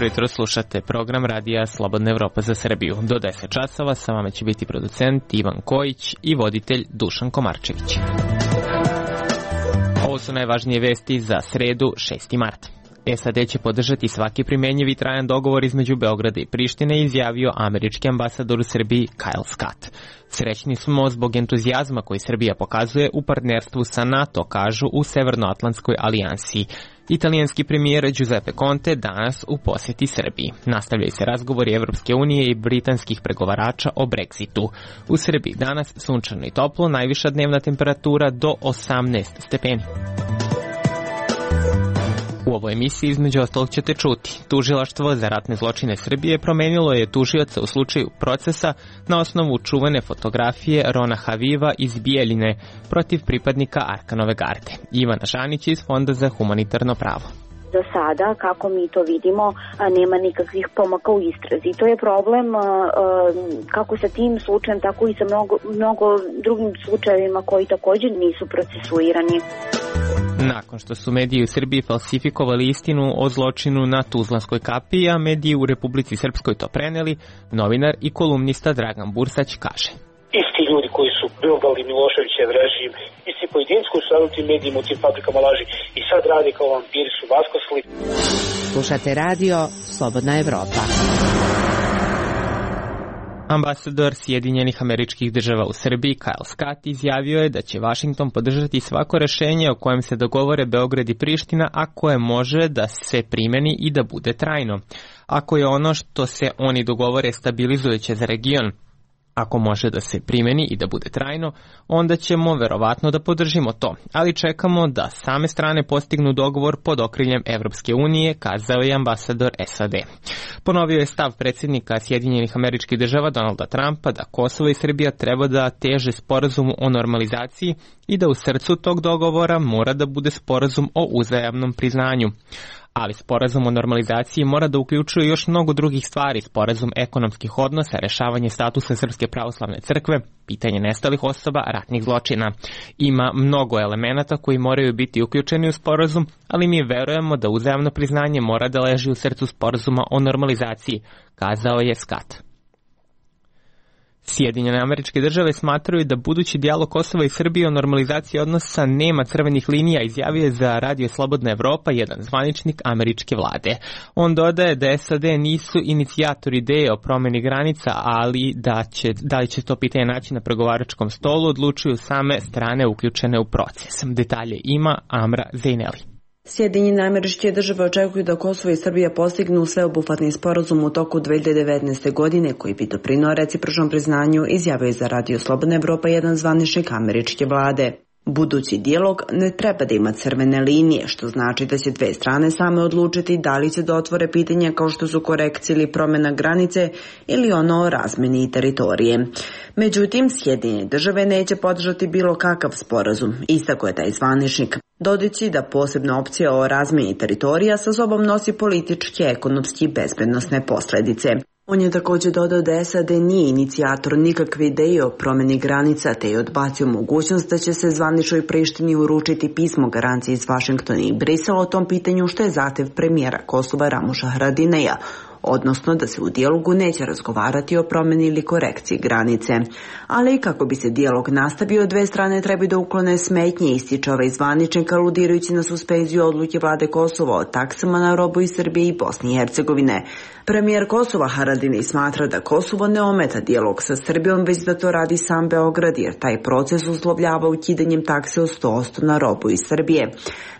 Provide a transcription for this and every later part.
Dobro jutro, slušate program radija Slobodna Evropa za Srbiju. Do 10 časova sa vama će biti producent Ivan Kojić i voditelj Dušan Komarčević. Ovo su najvažnije vesti za sredu 6. marta. SAD će podržati svaki primenjiv i trajan dogovor između Beograda i Prištine, izjavio američki ambasador u Srbiji Kyle Scott. Srećni smo zbog entuzijazma koji Srbija pokazuje u partnerstvu sa NATO, kažu u Severnoatlantskoj alijansi. Italijanski premijer Giuseppe Conte danas u posjeti Srbiji. Nastavljaju se razgovori Evropske unije i britanskih pregovarača o Brexitu. U Srbiji danas sunčano i toplo, najviša dnevna temperatura do 18 stepeni. U ovoj emisiji između ostalog ćete čuti. Tužilaštvo za ratne zločine Srbije promenilo je tužioca u slučaju procesa na osnovu čuvene fotografije Rona Haviva iz Bijeljine protiv pripadnika Arkanove garde. Ivana Žanić iz Fonda za humanitarno pravo. Za sada, kako mi to vidimo, nema nikakvih pomaka u istrazi. To je problem kako sa tim slučajem, tako i sa mnogo drugim slučajevima koji također nisu procesuirani. Nakon što su mediji u Srbiji falsifikovali istinu o zločinu na Tuzlanskoj kapiji, a mediji u Republici Srpskoj to preneli, novinar i kolumnista Dragan Bursać kaže: Isti ljudi koji su bildali Miloševićev režim, isti pojedinci koji su radili tim medijima u tim fabrikama laži i sad radi kao vampiri su vaskrsli. Slušate radio Slobodna Evropa. Ambasador Sjedinjenih Američkih Država u Srbiji Kyle Scott izjavio je da će Vašington podržati svako rešenje o kojem se dogovore Beograd i Priština, a koje može da se primeni i da bude trajno. Ako je ono što se oni dogovore stabilizujuće za region, ako može da se primeni i da bude trajno, onda ćemo verovatno da podržimo to, ali čekamo da same strane postignu dogovor pod okriljem Evropske unije, kazao je ambasador SAD. Ponovio je stav predsjednika Sjedinjenih Američkih Država Donalda Trumpa da Kosovo i Srbija treba da teže sporazumu o normalizaciji i da u srcu tog dogovora mora da bude sporazum o uzajamnom priznanju. Ali sporazum o normalizaciji mora da uključuje još mnogo drugih stvari, sporazum ekonomskih odnosa, rešavanje statusa Srpske pravoslavne crkve, pitanje nestalih osoba, ratnih zločina. Ima mnogo elemenata koji moraju biti uključeni u sporazum, ali mi verujemo da uzajamno priznanje mora da leži u srcu sporazuma o normalizaciji, kazao je Scott. Sjedinjene Američke Države smatraju da budući dijalog Kosova i Srbije o normalizaciji odnosa nema crvenih linija, izjavio je za Radio Slobodna Evropa jedan zvaničnik američke vlade. On dodaje da SAD nisu inicijatori ideje o promjeni granica, ali da li će to pitanje naći na pregovaračkom stolu odlučuju same strane uključene u proces. Detalje ima Amra Zejneli. Sjedinjene Američke Države očekuju da Kosovo i Srbija postignu sveobuhvatni sporazum u toku 2019. godine koji bi doprineo recipročnom priznanju, izjavio je za Radio Slobodna Evropa jedan zvaničnik američke vlade. Budući dijalog ne treba da ima crvene linije, što znači da će dve strane same odlučiti da li će da otvore pitanja kao što su korekcije ili promjena granice ili ono o razmeni teritorije. Međutim, Sjedinjene Države neće podržati bilo kakav sporazum, istakao je taj zvaničnik, dodajući da posebna opcija o razmeni teritorija sa sobom nosi političke, ekonomske i bezbednosne posljedice. On je također dodao da SAD nije inicijator nikakve ideje o promjeni granica, te je odbacio mogućnost da će se zvaničnoj Prištini uručiti pismo garancije iz Vašingtona i Brisela o tom pitanju, što je zahtev premijera Kosova Ramuša Haradinaja, odnosno da se u dijalogu neće razgovarati o promjeni ili korekciji granice. Ali kako bi se dijalog nastavio, dve strane treba da uklone smetnje, ističe ovaj zvaničnik, aludirajući na suspenziju odluke vlade Kosova o taksama na robu iz Srbije i Bosne i Hercegovine. Premijer Kosova Haradinaj smatra da Kosovo ne ometa dijalog sa Srbijom, već da to radi sam Beograd, jer taj proces uslovljava ukidanjem takse od 100% na robu iz Srbije.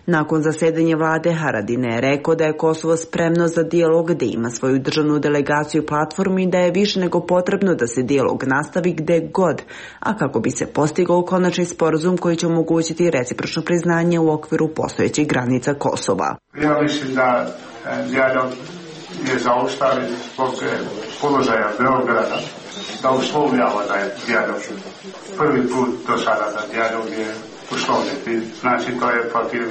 Nakon zasedanja vlade, Haradinaj je rekao da je Kosovo spremno za dijalog, da ima svoju državnu delegaciju i platformu i da je više nego potrebno da se dijalog nastavi gde god, a kako bi se postigao konačni sporazum koji će omogućiti recipročno priznanje u okviru postojećih granica Kosova. Ja mislim da dijalog je zaustavljen zbog položaja Beograda, da uslovljava da je dijalog prvi put do sada da dijalog je uslovljati. Znači to je protiv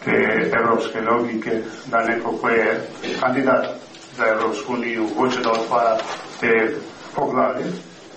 te evropske logike da neko ko je kandidat za Evropsku uniju hoće da otvara te poglavlje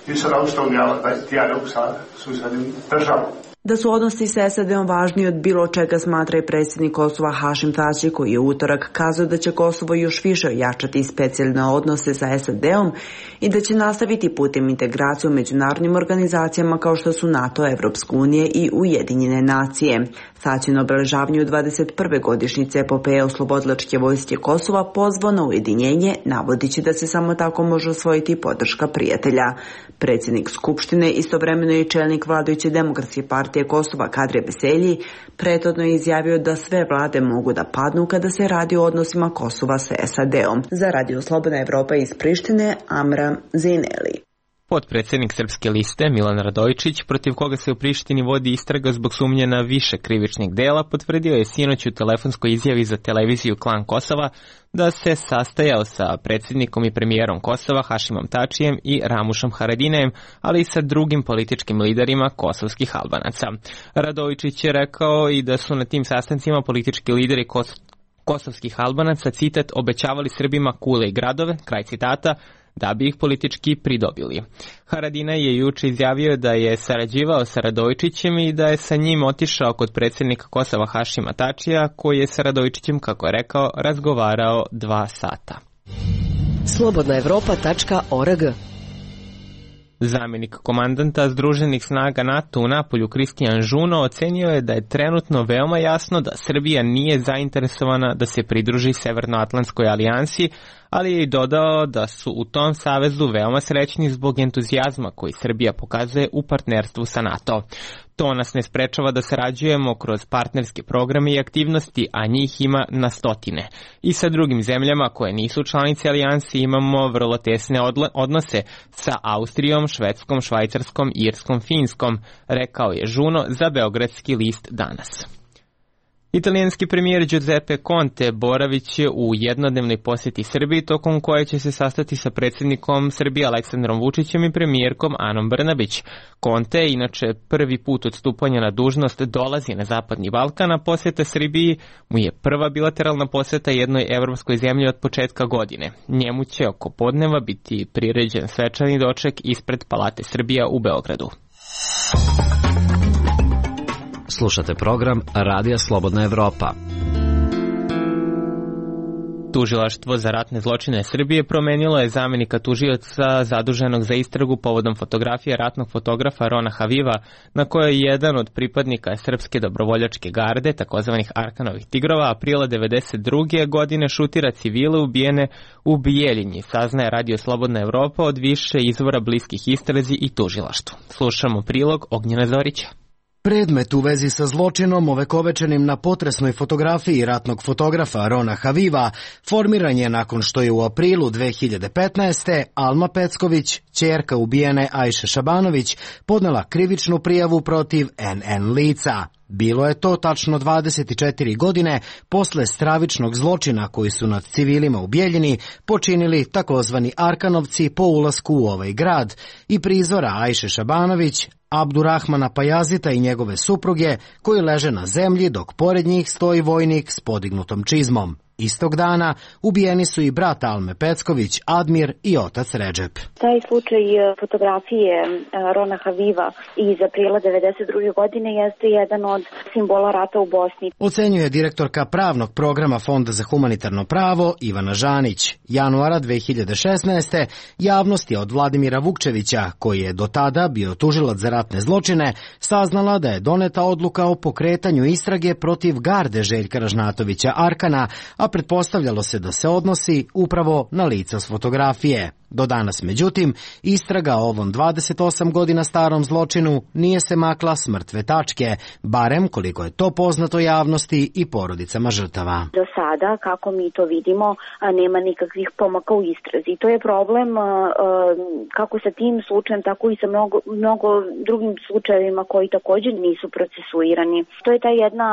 i sada uslovljava da dijalog sa susednim državom. Da su odnosi sa SAD-om važniji od bilo čega smatra i predsjednik Kosova Hašim Tači, koji je utorak kazao da će Kosovo još više ojačati specijalne odnose sa SAD-om i da će nastaviti putem integracije u međunarodnim organizacijama kao što su NATO, Evropska unija i Ujedinjene nacije. Tači na obeležavanju 21. godišnjice epopeje oslobodilačke vojske Kosova pozvao na ujedinjenje, navodići da se samo tako može osvojiti podrška prijatelja. Predsjednik Skupštine, istovremeno i čelnik vladajuće Demokratske partije Kosova Kadri Beselji, prethodno je izjavio da sve vlade mogu da padnu kada se radi o odnosima Kosova sa SAD-om. Za Radio Slobodna Evropa iz Prištine, Amra Zineli. Potpredsjednik Srpske liste Milan Radojičić, protiv koga se u Prištini vodi istraga zbog sumnje na više krivičnih dela, potvrdio je sinoć u telefonskoj izjavi za televiziju Klan Kosova da se sastajao sa predsjednikom i premijerom Kosova Hašimom Tačijem i Ramušom Haradinajem, ali i sa drugim političkim liderima kosovskih Albanaca. Radojičić je rekao i da su na tim sastancima politički lideri kosovskih Albanaca, citat, obećavali Srbima kule i gradove, kraj citata, da bi ih politički pridobili. Haradinaj je juče izjavio da je sarađivao sa Radojičićem i da je sa njim otišao kod predsjednika Kosova Hašima Tačija, koji je sa Radojičićem, kako je rekao, razgovarao 2 sata. Slobodnaevropa.org. Zamjenik komandanta Združenih snaga NATO u Napolju Kristijan Žuno ocenio je da je trenutno veoma jasno da Srbija nije zainteresovana da se pridruži Severnoatlantskoj alijansi, ali je i dodao da su u tom savezu veoma srećni zbog entuzijazma koji Srbija pokazuje u partnerstvu sa NATO. To nas ne sprečava da sarađujemo kroz partnerske programe i aktivnosti, a njih ima na stotine. I sa drugim zemljama koje nisu članice alijansi imamo vrlo tesne odnose sa Austrijom, Švedskom, Švajcarskom, Irskom, Finskom, rekao je Žuno za beogradski list Danas. Italijanski premijer Giuseppe Conte boravit će u jednodnevnoj posjeti Srbiji, tokom koje će se sastati sa predsjednikom Srbije Aleksandrom Vučićem i premijerkom Anom Brnabić. Conte, inače prvi put od stupanja na dužnost, dolazi na Zapadni Balkan, a posjeta Srbiji mu je prva bilateralna posjeta jednoj evropskoj zemlji od početka godine. Njemu će oko podneva biti priređen svečani doček ispred Palate Srbija u Beogradu. Slušate program Radija Slobodna Evropa. Tužilaštvo za ratne zločine Srbije promenilo je zamjenika tužioca zaduženog za istragu povodom fotografije ratnog fotografa Rona Haviva, na kojoj je jedan od pripadnika Srpske dobrovoljačke garde, takozvanih Arkanovih tigrova, aprila 1992. godine šutira civile ubijene u Bijeljini, saznaje Radio Slobodna Evropa od više izvora bliskih istrazi i tužilaštvu. Slušamo prilog Ognjena Zorića. Predmet u vezi sa zločinom ovekovečenim na potresnoj fotografiji ratnog fotografa Rona Haviva formiran je nakon što je u aprilu 2015. Alma Pecković, ćerka ubijene Ajše Šabanović, podnela krivičnu prijavu protiv NN lica. Bilo je to tačno 24 godine posle stravičnog zločina koji su nad civilima u Bijeljini počinili takozvani Arkanovci po ulasku u ovaj grad i prizora Ajše Šabanović, Abdurrahmana Pajazita i njegove supruge koji leže na zemlji dok pored njih stoji vojnik s podignutom čizmom. Istog dana ubijeni su i brat Alme Pecković, Admir i otac Redžep. Taj slučaj fotografije Rona Haviva iz aprila 1992. godine jeste jedan od simbola rata u Bosni. Ocenjuje direktorka pravnog programa Fonda za humanitarno pravo Ivana Žanić. Januara 2016. javnost je od Vladimira Vukčevića, koji je do tada bio tužilac za ratne zločine, saznala da je doneta odluka o pokretanju istrage protiv garde Željka Ražnatovića Arkana, a pretpostavljalo se da se odnosi upravo na lica s fotografije. Do danas, međutim, istraga o ovom 28 godina starom zločinu nije se makla s mrtve tačke, barem koliko je to poznato javnosti i porodicama žrtava. Do sada, kako mi to vidimo, nema nikakvih pomaka u istrazi. To je problem kako sa tim slučajem, tako i sa mnogo drugim slučajevima koji također nisu procesuirani. To je ta jedna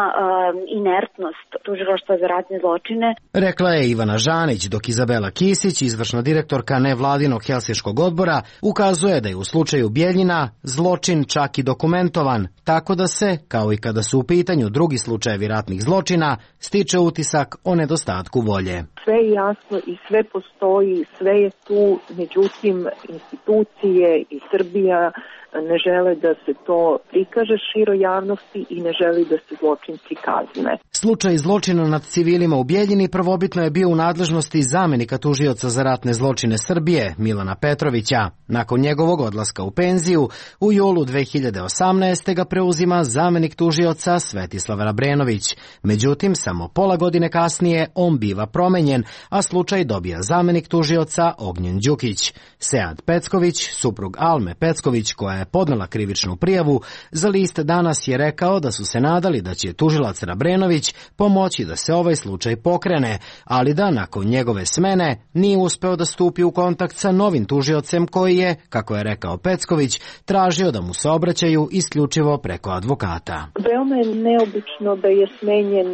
inertnost tužilaštva za ratne zločine. Rekla je Ivana Žanić, dok Izabela Kisić, izvršna direktorka nevladinog Helsinškog odbora, ukazuje da je u slučaju Bijeljina zločin čak i dokumentovan, tako da se, kao i kada su u pitanju drugi slučajevi ratnih zločina, stiče utisak o nedostatku volje. Sve je jasno i sve postoji, sve je tu, međutim institucije i Srbija ne žele da se to prikaže široj javnosti i ne želi da se zločinci kazne. Slučaj zločina nad civilima u Bjeljini prvobitno je bio u nadležnosti zamenika tužioca za ratne zločine Srbije, Milana Petrovića. Nakon njegovog odlaska u penziju, u julu 2018. ga preuzima zamenik tužioca Svetislav Rabrenović. Međutim, samo pola godine kasnije on biva promenjen, a slučaj dobija zamenik tužioca Ognjen Đukić. Sead Pecković, suprug Alme Pecković, koja je podnela krivičnu prijavu, za list Danas je rekao da su se nadali da će tužilac Rabrenović pomoći da se ovaj slučaj pokrene, ali da nakon njegove smene nije uspeo da stupi u kontakt sa novim tužiocem koji je, kako je rekao Pecković, tražio da mu se obraćaju isključivo preko advokata. Veoma je neobično da je smenjen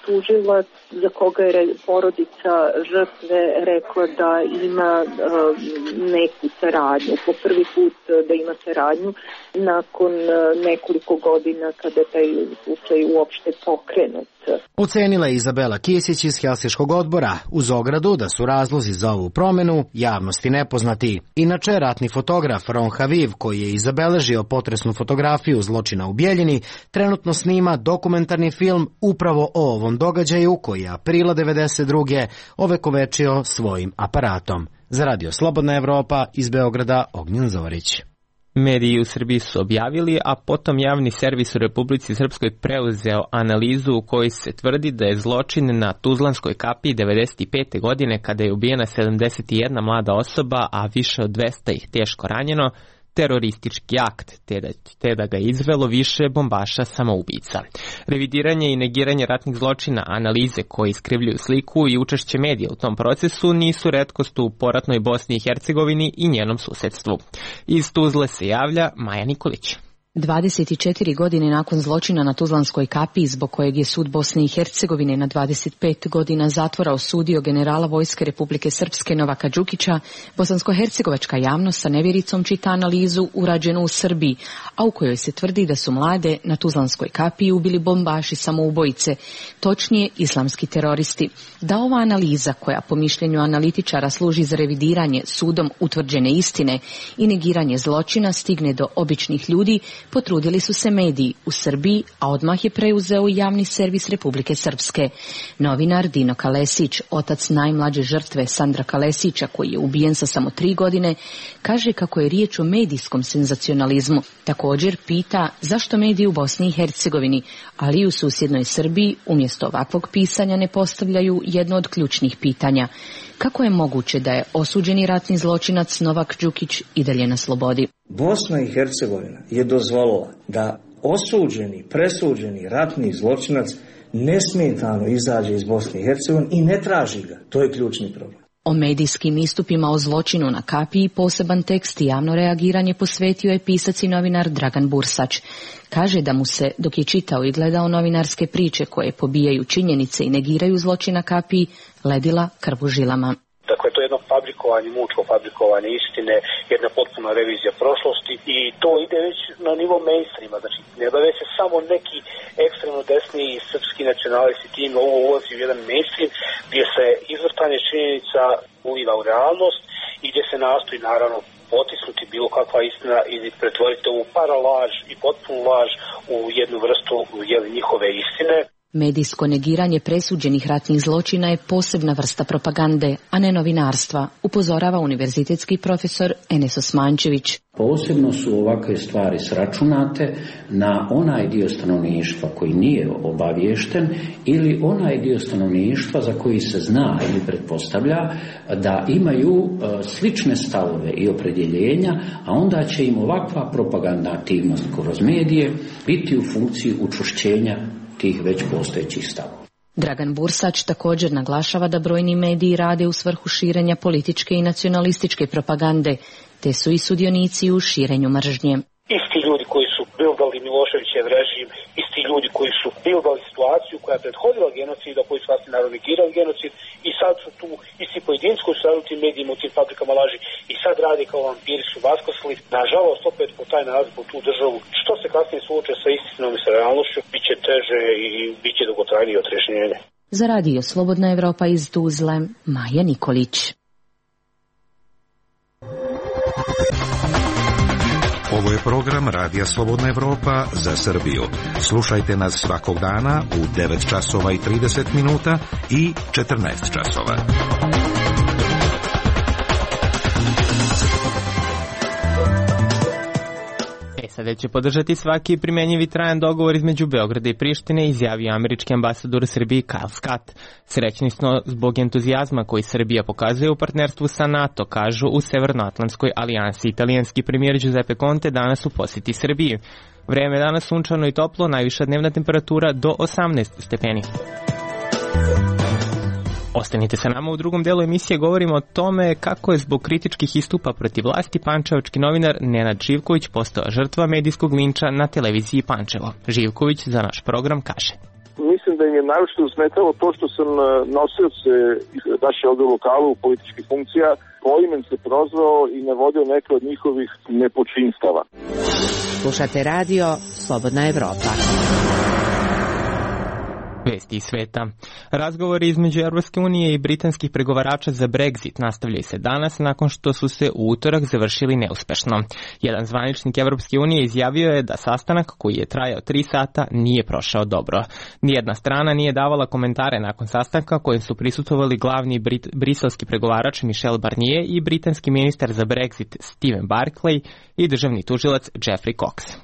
tužilac za koga je porodica žrtve rekla da ima neku saradnju. Po prvi put da ima saradnju nakon nekoliko godina kada taj slučaj uopšte pokrenut. Ocenila je Izabela Kisić iz Helsinškog odbora, uz ogradu da su razlozi za ovu promenu javnosti nepoznati. Inače, ratni fotograf Ron Haviv, koji je izabeležio potresnu fotografiju zločina u Bjeljini, trenutno snima dokumentarni film upravo o ovom događaju koji je aprila 1992. ovekovečio svojim aparatom. Za Radio Slobodna Evropa, iz Beograda, Ognjen Zorić. Mediji u Srbiji su objavili, a potom javni servis u Republici Srpskoj preuzeo analizu u kojoj se tvrdi da je zločin na Tuzlanskoj kapiji 1995. godine, kada je ubijena 71 mlada osoba, a više od 200 ih teško ranjeno, teroristički akt, te da ga je izvelo više bombaša samoubica. Revidiranje i negiranje ratnih zločina, analize koje iskrivljuju sliku i učešće medija u tom procesu nisu retkost u poratnoj Bosni i Hercegovini i njenom susedstvu. Iz Tuzle se javlja Maja Nikolić. 24 godine nakon zločina na Tuzlanskoj kapiji, zbog kojeg je sud Bosne i Hercegovine na 25 godina zatvora osudio generala Vojske Republike Srpske Novaka Đukića, bosansko-hercegovačka javnost sa nevjericom čita analizu urađenu u Srbiji, a u kojoj se tvrdi da su mlade na Tuzlanskoj kapiji ubili bombaši samoubojice, točnije islamski teroristi. Da ova analiza, koja po mišljenju analitičara služi za revidiranje sudom utvrđene istine i negiranje zločina, stigne do običnih ljudi, potrudili su se mediji u Srbiji, a odmah je preuzeo javni servis Republike Srpske. Novinar Dino Kalesić, otac najmlađe žrtve Sandra Kalesića, koji je ubijen sa samo 3 godine, kaže kako je riječ o medijskom senzacionalizmu. Također pita zašto mediji u Bosni i Hercegovini, ali i u susjednoj Srbiji, umjesto ovakvog pisanja ne postavljaju jedno od ključnih pitanja. Kako je moguće da je osuđeni ratni zločinac Novak Đukić i dalje na slobodi? Bosna i Hercegovina je dozvolila da osuđeni, presuđeni ratni zločinac nesmetano izađe iz Bosne i Hercegovine i ne traži ga. To je ključni problem. O medijskim istupima o zločinu na kapiji poseban tekst i javno reagiranje posvetio je pisac i novinar Dragan Bursać. Kaže da mu se, dok je čitao i gledao novinarske priče koje pobijaju činjenice i negiraju zločin na kapiji, ledila krv u žilama. Dakle, to je jedno fabrikovanje, mučko fabrikovanje istine, jedna potpuna revizija prošlosti i to ide već na nivo mainstreama. Znači, ne bave se samo neki ekstremno desni i srpski nacionalisti tim, ovo ulazi u jedan mainstream gdje se izvrtanje činjenica uliva u realnost i gdje se nastoji naravno potisnuti bilo kakva istina i pretvoriti ovu paralaž i potpunu laž u jednu vrstu njihove istine. Medijsko negiranje presuđenih ratnih zločina je posebna vrsta propagande, a ne novinarstva, upozorava univerzitetski profesor Enes Osmančević. Posebno su ovakve stvari sračunate na onaj dio stanovništva koji nije obaviješten ili onaj dio stanovništva za koji se zna ili pretpostavlja da imaju slične stavove i opredjeljenja, a onda će im ovakva propagandna aktivnost kroz medije biti u funkciji učvršćenja tih već postojećih stavova. Dragan Bursać također naglašava da brojni mediji rade u svrhu širenja političke i nacionalističke propagande, te su i sudionici u širenju mržnje. Isti ljudi koji su bildali Miloševićev režim, isti ljudi koji su bildali situaciju koja je prethodila genocidu, koji su vlastni narod negirali genocid i sad su tu isti pojedinci koji su radili u tim medijima, u tim fabrikama laži i sad radi kao vampiri su vaskrsli. Nažalost, opet po taj narod, po tu državu, što se kasnije sluče sa istinom i sa realnošću, bit će teže i bit će dugotrajnije otrežnjenje. Za radio Slobodna Evropa iz Tuzle, Maja Nikolić. Ovo je program Radija Slobodna Evropa za Srbiju. Slušajte nas svakog dana u 9 časova i 30 minuta i 14 časova. SAD će podržati svaki primenjivi trajan dogovor između Beograda i Prištine, izjavio američki ambasador u Srbiji Kyle Scott. Srećni smo zbog entuzijazma koji Srbija pokazuje u partnerstvu sa NATO, kažu u Severnoatlantskoj alijansi. Italijanski premijer Giuseppe Conte danas u posjeti Srbiji. Vreme je danas sunčano i toplo, najviša dnevna temperatura do 18 stepeni. Ostanite sa nama, u drugom delu emisije govorimo o tome kako je zbog kritičkih istupa protiv vlasti pančevački novinar Nenad Živković postao žrtva medijskog linča na televiziji Pančevo. Živković za naš program kaže: Mislim da im je naročito smetalo to što sam nosioce naše ovde u lokalu političkih funkcija poimen se prozvao i navodio neke od njihovih nepočinstava. Slušate radio Slobodna Evropa. Vesti iz sveta. Razgovori između Europske unije i britanskih pregovarača za Brexit nastavljaju se danas nakon što su se u utorak završili neuspešno. Jedan zvaničnik Europske unije izjavio je da sastanak koji je trajao 3 sata nije prošao dobro. Nijedna strana nije davala komentare nakon sastanka kojim su prisustvovali glavni briselski pregovarač Michel Barnier i britanski ministar za Brexit Stephen Barclay i državni tužilac Geoffrey Cox.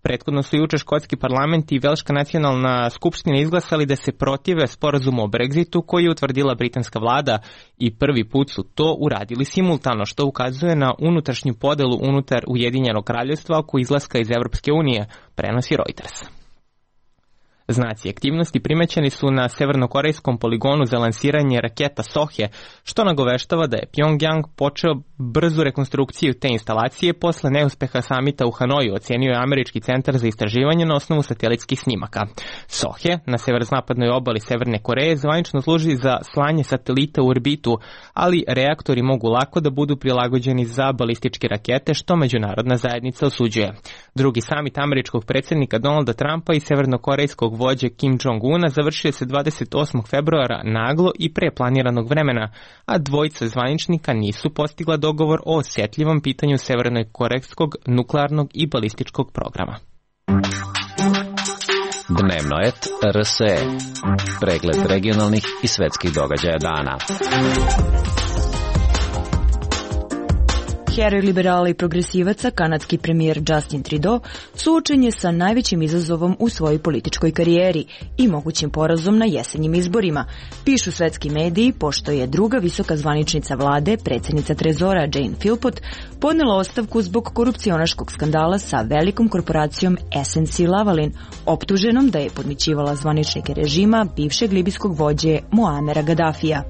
Prethodno su juče škotski parlament i Velška nacionalna skupština izglasali da se protive sporazumu o Brexitu koji je utvrdila britanska vlada i prvi put su to uradili simultano, što ukazuje na unutrašnju podelu unutar Ujedinjenog kraljevstva oko izlaska iz Evropske unije, prenosi Reuters. Znaci aktivnosti primećeni su na severnokorejskom poligonu za lansiranje raketa Sohe, što nagoveštava da je Pyongyang počeo brzu rekonstrukciju te instalacije posle neuspeha samita u Hanoju, ocenio je Američki centar za istraživanje na osnovu satelitskih snimaka. Sohe na severozapadnoj obali Severne Koreje zvanično služi za slanje satelita u orbitu, ali reaktori mogu lako da budu prilagođeni za balističke rakete, što međunarodna zajednica osuđuje. Drugi samit američkog predsjednika Donalda Trumpa i severnokorejskog vođe Kim Jong-una završio se 28. februara naglo i pre planiranog vremena, a dvojica zvaničnika nisu postigla dogovor o osjetljivom pitanju severnokorejskog nuklearnog i balističkog programa. Dnevno et RSE. Pregled regionalnih i svetskih događaja dana. Heroj liberala i progresivaca, kanadski premijer Justin Trudeau, suočen je sa najvećim izazovom u svojoj političkoj karijeri i mogućim porazom na jesenjim izborima, pišu svetski mediji, pošto je druga visoka zvaničnica vlade, predsjednica Trezora Jane Philpott, podnela ostavku zbog korupcionaškog skandala sa velikom korporacijom SNC-Lavalin, optuženom da je podmićivala zvaničnike režima bivšeg libijskog vođe Muamera Gaddafija.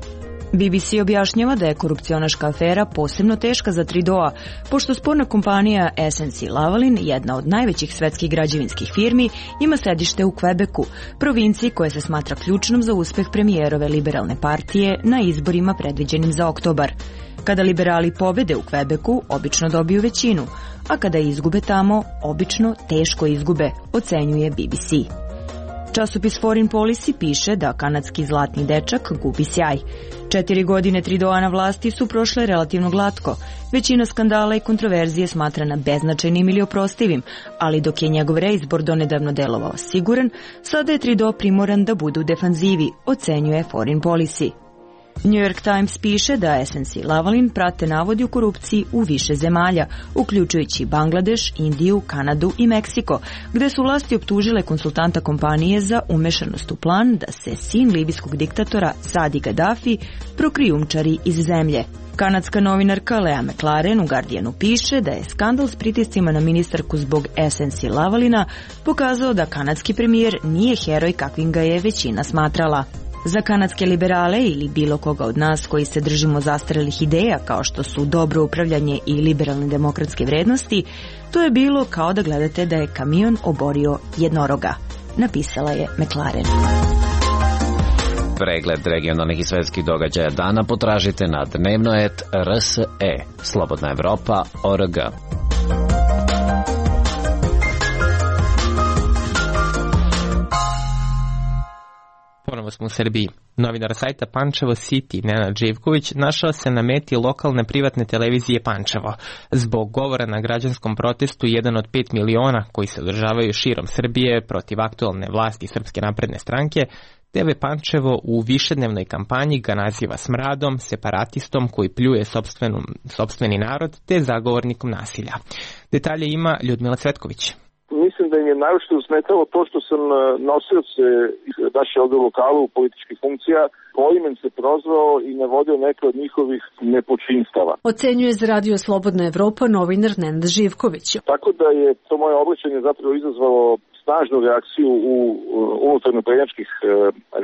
BBC objašnjava da je korupcionaška afera posebno teška za Trudeaua, pošto sporna kompanija SNC-Lavalin, jedna od najvećih svetskih građevinskih firmi, ima sedište u Quebecu, provinciji koja se smatra ključnom za uspeh premijerove liberalne partije na izborima predviđenim za oktobar. Kada liberali pobede u Quebecu, obično dobiju većinu, a kada izgube tamo, obično teško izgube, ocenjuje BBC. Časopis Foreign Policy piše da kanadski zlatni dečak gubi sjaj. 4 godine Trudeaua na vlasti su prošle relativno glatko. Većina skandala i kontroverzije smatrana beznačajnim ili oprostivim, ali dok je njegov reizbor donedavno delovao siguran, sada je Trudeau primoran da bude u defanzivi, ocenjuje Foreign Policy. New York Times piše da SNC-Lavalin prate navodi u korupciji u više zemalja, uključujući Bangladeš, Indiju, Kanadu i Meksiko, gde su vlasti optužile konsultanta kompanije za umešanost u plan da se sin libijskog diktatora Sadi Gaddafi prokrijumčari iz zemlje. Kanadska novinarka Lea McLaren u Guardianu piše da je skandal s pritiscima na ministarku zbog SNC-Lavalina pokazao da kanadski premijer nije heroj kakvim ga je većina smatrala. Za kanadske liberale ili bilo koga od nas koji se držimo zastarelih ideja kao što su dobro upravljanje i liberalne demokratske vrednosti, to je bilo kao da gledate da je kamion oborio jednoroga, napisala je McLaren. Pregled regionalnih i svetskih događaja dana potražite na dnevnoet.rse, Slobodna Evropa.org. Ponovo smo u Srbiji. Novinar sajta Pančevo City, Nenad Živković, našao se na meti lokalne privatne televizije Pančevo. Zbog govora na građanskom protestu jedan od 5 miliona koji se održavaju širom Srbije protiv aktualne vlasti Srpske napredne stranke, TV Pančevo u višednevnoj kampanji ga naziva smradom, separatistom koji pljuje sopstveni narod te zagovornikom nasilja. Detalje ima Ljudmila Cvetković. Mislim da im je naročito smetalo to što sam nosioc naše ovde lokalu političkih funkcija poimen se prozvao i navodio neke od njihovih nepočinstava. Ocenjuje za Radio Slobodna Evropa novinar Nenad Živković. Tako da je to moje obraćanje zapravo izazvalo snažnu reakciju u unutarnjoprednjačkih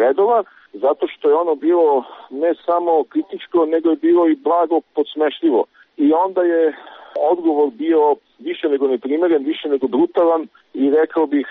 redova, zato što je ono bilo ne samo kritičko, nego je bilo i blago podsmešljivo. I onda je odgovor bio više nego neprimeren, više nego brutalan i rekao bih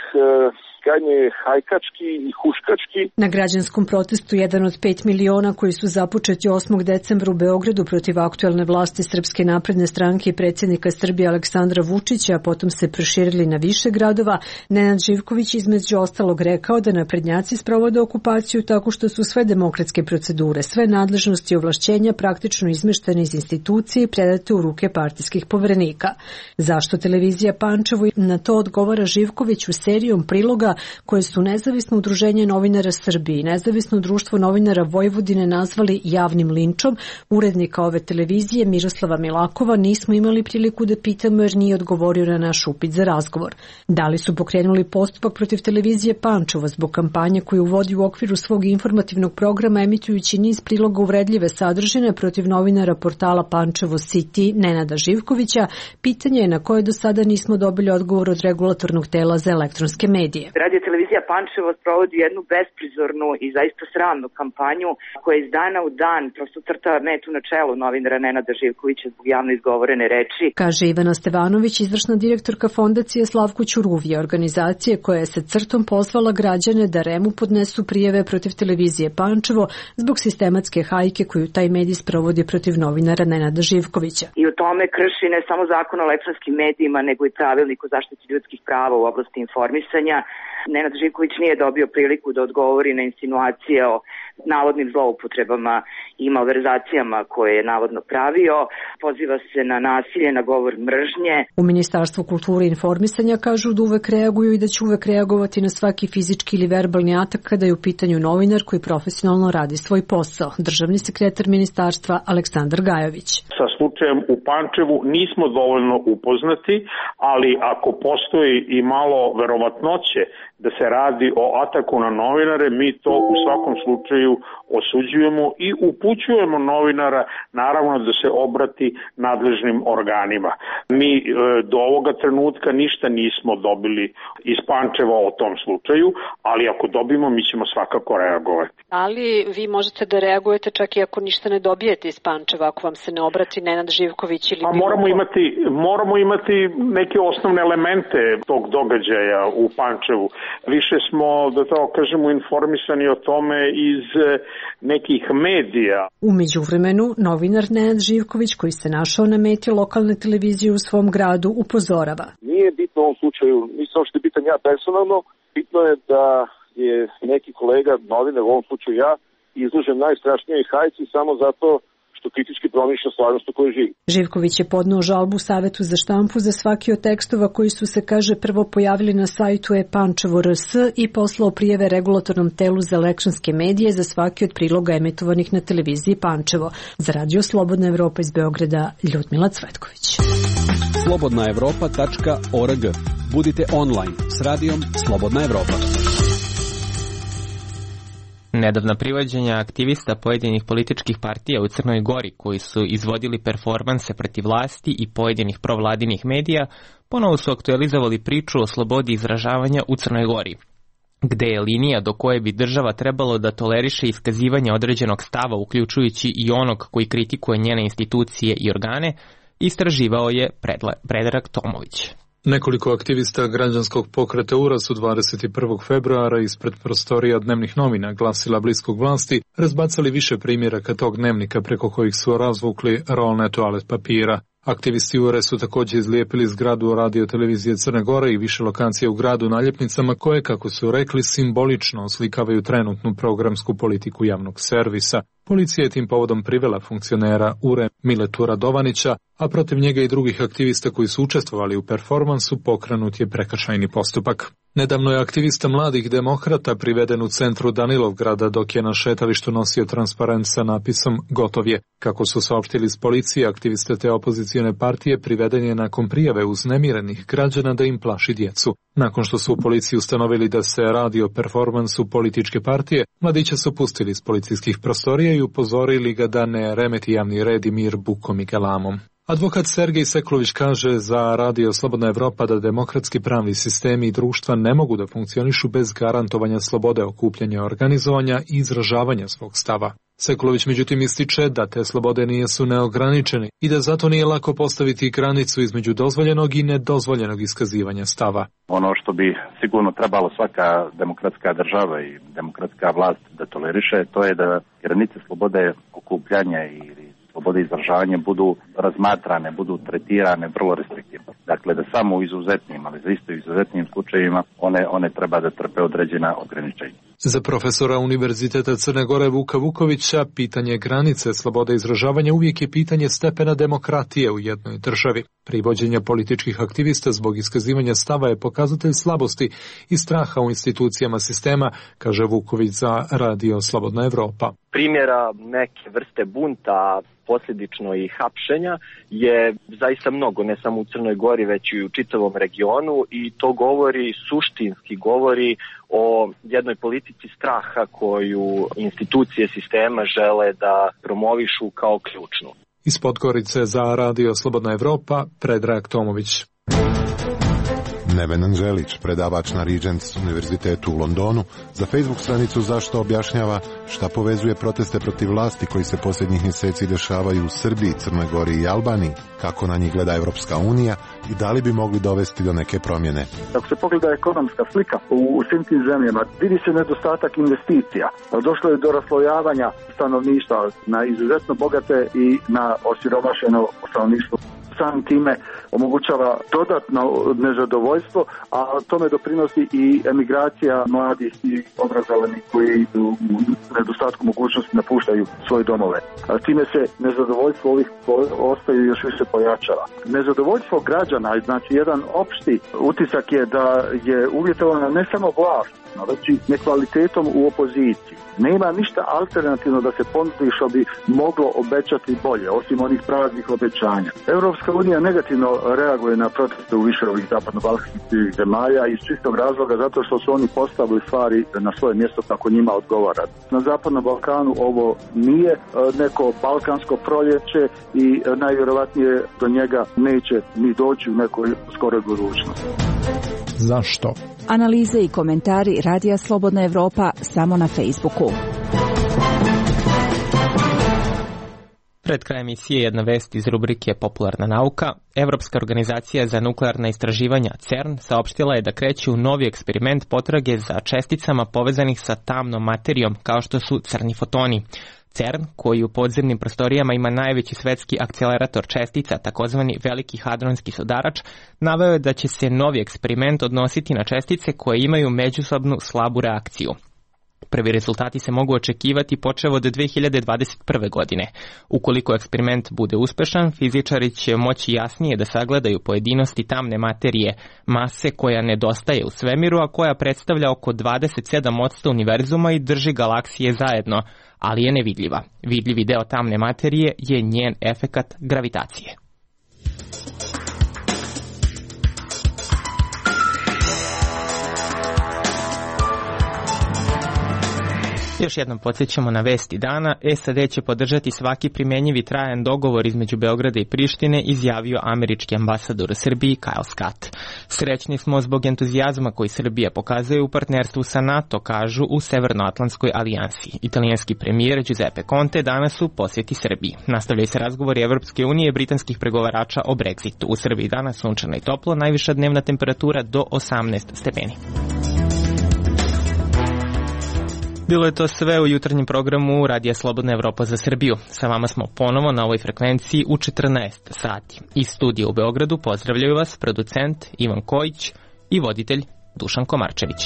krajnje hajkački i huškački. Na građanskom protestu jedan od 5 miliona koji su započeti 8. decembra u Beogradu protiv aktuelne vlasti Srpske napredne stranke i predsjednika Srbije Aleksandra Vučića, a potom se proširili na više gradova, Nenad Živković između ostalog rekao da naprednjaci sprovode okupaciju tako što su sve demokratske procedure, sve nadležnosti i ovlašćenja praktično izmeštene iz institucije i predate u ruke partijskih poverenika. Zašto televizija Pančevo? Na to odgovara Živković u serijom priloga koje su Nezavisno udruženje novinara Srbije i Nezavisno društvo novinara Vojvodine nazvali javnim linčom. Urednika ove televizije Miroslava Milakova nismo imali priliku da pitamo jer nije odgovorio na naš upit za razgovor. Da li su pokrenuli postupak protiv televizije Pančevo zbog kampanje koju vodi u okviru svog informativnog programa emitujući niz priloga uvredljive sadržine protiv novinara portala Pančevo City Nenada Živkovića, pitanje je na koje do sada nismo dobili odgovor od regulatornog tela za elektronske medije. Radio televizija Pančevo sprovodi jednu besprizornu i zaista sramnu kampanju koja iz dana u dan prosto crta metu na čelu novinara Nenada Živkovića zbog javno izgovorene reči. Kaže Ivana Stevanović, izvršna direktorka fondacije Slavko Ćuruvije, organizacije koja je sa crtom pozvala građane da REM-u podnesu prijave protiv televizije Pančevo zbog sistematske hajke koju taj medij sprovodi protiv novinara Nenada Živkovića. I u tome krši ne samo zakon o elektronskim medijima, nego i pravilnik o zaštiti ljudskih prava u oblasti informisanja. Nenad Živković nije dobio priliku da odgovori na insinuacije o navodnim zloupotrebama i malverzacijama koje je navodno pravio. Poziva se na nasilje, na govor mržnje. U Ministarstvu kulture i informisanja kažu da uvek reaguju i da će uvek reagovati na svaki fizički ili verbalni atak kada je u pitanju novinar koji profesionalno radi svoj posao. Državni sekretar ministarstva Aleksandar Gajović. Sa slučajem u Pančevu nismo dovoljno upoznati, ali ako postoji i malo verovatnoće da se radi o ataku na novinare, mi to u svakom slučaju osuđujemo i upućujemo novinara naravno da se obrati nadležnim organima. Mi do ovoga trenutka ništa nismo dobili iz Pančeva o tom slučaju, ali ako dobijemo mi ćemo svakako reagovati. Ali vi možete da reagujete čak i ako ništa ne dobijete iz Pančeva, ako vam se ne obrati Nenad Živković ili moramo imati neke osnovne elemente tog događaja u Pančevu. Više smo, da to kažemo, informisani o tome iz nekih medija. U međuvremenu, novinar Nenad Živković, koji se našao na meti lokalne televizije u svom gradu, upozorava. Nije bitno u ovom slučaju, nisam što je bitan ja personalno, bitno je da je neki kolega, novinar, u ovom slučaju ja, izložen najstrašnijoj hajci samo zato što kritički promišlja stvarnost u kojoj živi. Živković je podneo žalbu Savetu za štampu za svaki od tekstova koji su se, kaže, prvo pojavili na sajtu ePančevo.rs i poslao prijeve regulatornom telu za elektronske medije za svaki od priloga emitovanih na televiziji Pančevo. Za Radio Slobodna Evropa iz Beograda, Ljudmila Cvetković. slobodnaevropa.org. Budite online s radijom Slobodna Evropa. Nedavna privođenja aktivista pojedinih političkih partija u Crnoj Gori koji su izvodili performanse protiv vlasti i pojedinih provladinih medija ponovo su aktualizovali priču o slobodi izražavanja u Crnoj Gori, gde je linija do koje bi država trebalo da toleriše iskazivanje određenog stava, uključujući i onog koji kritikuje njene institucije i organe, istraživao je Predrag Tomović. Nekoliko aktivista građanskog pokreta URA su 21. februara ispred prostorija dnevnih novina glasila bliskog vlasti razbacali više primjeraka tog dnevnika preko kojih su razvukli rolne toalet papira. Aktivisti URE su također izlijepili zgradu radio televizije Crne Gore i više lokacija u gradu naljepnicama koje, kako su rekli, simbolično oslikavaju trenutnu programsku politiku javnog servisa. Policija je tim povodom privela funkcionera URE Miletu Radovanića, a protiv njega i drugih aktivista koji su učestvovali u performansu pokrenut je prekršajni postupak. Nedavno je aktivista mladih demokrata priveden u centru Danilovgrada dok je na šetalištu nosio transparent sa napisom "Gotov je". Kako su saopštili iz policije, aktiviste te opozicione partije priveden je nakon prijave uznemirenih građana da im plaši djecu. Nakon što su u policiji ustanovili da se radi o performansu političke partije, mladića su pustili iz policijskih prostorija i upozorili ga da ne remeti javni red i mir bukom i galamom. Advokat Sergej Seklović kaže za Radio Slobodna Evropa da demokratski pravni sistemi i društva ne mogu da funkcionišu bez garantovanja slobode okupljanja, organizovanja i izražavanja svog stava. Seklović međutim ističe da te slobode nisu neograničene i da zato nije lako postaviti granicu između dozvoljenog i nedozvoljenog iskazivanja stava. Ono što bi sigurno trebalo svaka demokratska država i demokratska vlast da toleriše, to je da granice slobode okupljanja ili slobode izražavanja budu razmatrane, budu tretirane vrlo restriktivno. Dakle, da samo u izuzetnim, ali za isto izuzetnim slučajevima one treba da trpe određena ograničenja. Za profesora Univerziteta Crne Gore Vuka Vukovića, pitanje granice slobode izražavanja uvijek je pitanje stepena demokratije u jednoj državi. Privođenje političkih aktivista zbog iskazivanja stava je pokazatelj slabosti i straha u institucijama sistema, kaže Vuković za Radio Slobodna Evropa. Primjera neke vrste bunta, posljedično i hapšenja, je zaista mnogo, ne samo u Crnoj Gori, već i u čitavom regionu, i to suštinski govori o jednoj politici straha koju institucije sistema žele da promovišu kao ključnu. Iz Podgorice za Radio Slobodna Evropa, Predrag Tomović. Neven Anželić, predavač na Regents univerzitetu u Londonu, za Facebook stranicu Zašto objašnjava šta povezuje proteste protiv vlasti koji se posljednjih mjeseci dešavaju u Srbiji, Crnoj Gori i Albaniji, kako na njih gleda Evropska unija i da li bi mogli dovesti do neke promjene. Ako se pogleda ekonomska slika u svim tim zemljama, vidi se nedostatak investicija. Došlo je do raslojavanja stanovništva na izuzetno bogate i na osiromašeno stanovništvo. Sam time omogućava dodatno nezadovoljstvo, a tome doprinosi i emigracija mladih i obrazovanih koji u nedostatku mogućnosti napuštaju svoje domove. Time se nezadovoljstvo ovih ostaju još više pojačava. Nezadovoljstvo građana, znači jedan opšti utisak je da je uvjetovana ne samo vlast, već i nekvalitetom u opoziciji. Nema ništa alternativno da se ponudi što bi moglo obećati bolje, osim onih praznih obećanja. Europska unija negativno reaguje na proteste u više ovih zapadno-balkanskih zemalja iz čistog razloga zato što su oni postavili stvari na svoje mjesto kako njima odgovara. Na zapadnom Balkanu ovo nije neko balkansko proljeće i najvjerovatnije do njega neće ni doći u nekoj skoroj budućnosti. Zašto? Analize i komentari Radija Slobodna Evropa samo na Facebooku. Pred krajem emisije jedna vest iz rubrike Popularna nauka. Evropska organizacija za nuklearna istraživanja CERN saopštila je da kreće u novi eksperiment potrage za česticama povezanih sa tamnom materijom kao što su crni fotoni. CERN, koji u podzemnim prostorijama ima najveći svetski akcelerator čestica, takozvani veliki hadronski sudarač, naveo je da će se novi eksperiment odnositi na čestice koje imaju međusobnu slabu reakciju. Prvi rezultati se mogu očekivati počev od 2021. godine. Ukoliko eksperiment bude uspešan, fizičari će moći jasnije da sagledaju pojedinosti tamne materije, mase koja nedostaje u svemiru, a koja predstavlja oko 27% univerzuma i drži galaksije zajedno, ali je nevidljiva. Vidljivi deo tamne materije je njen efekat gravitacije. Još jednom podsjećamo na vesti dana. SAD će podržati svaki primjenjivi trajan dogovor između Beograda i Prištine, izjavio američki ambasador u Srbiji Kyle Scott. Srećni smo zbog entuzijazma koji Srbija pokazuje u partnerstvu sa NATO, kažu u Severnoatlantskoj alijansi. Italijanski premijer Giuseppe Conte danas u posjeti Srbiji. Nastavljaju se razgovori Evropske unije i britanskih pregovarača o Brexitu. U Srbiji danas sunčano i toplo, najviša dnevna temperatura do 18 stepeni. Bilo je to sve u jutarnjem programu Radija Slobodna Evropa za Srbiju. Sa vama smo ponovo na ovoj frekvenciji u 14 sati. Iz studija u Beogradu pozdravljaju vas producent Ivan Kojić i voditelj Dušan Komarčević.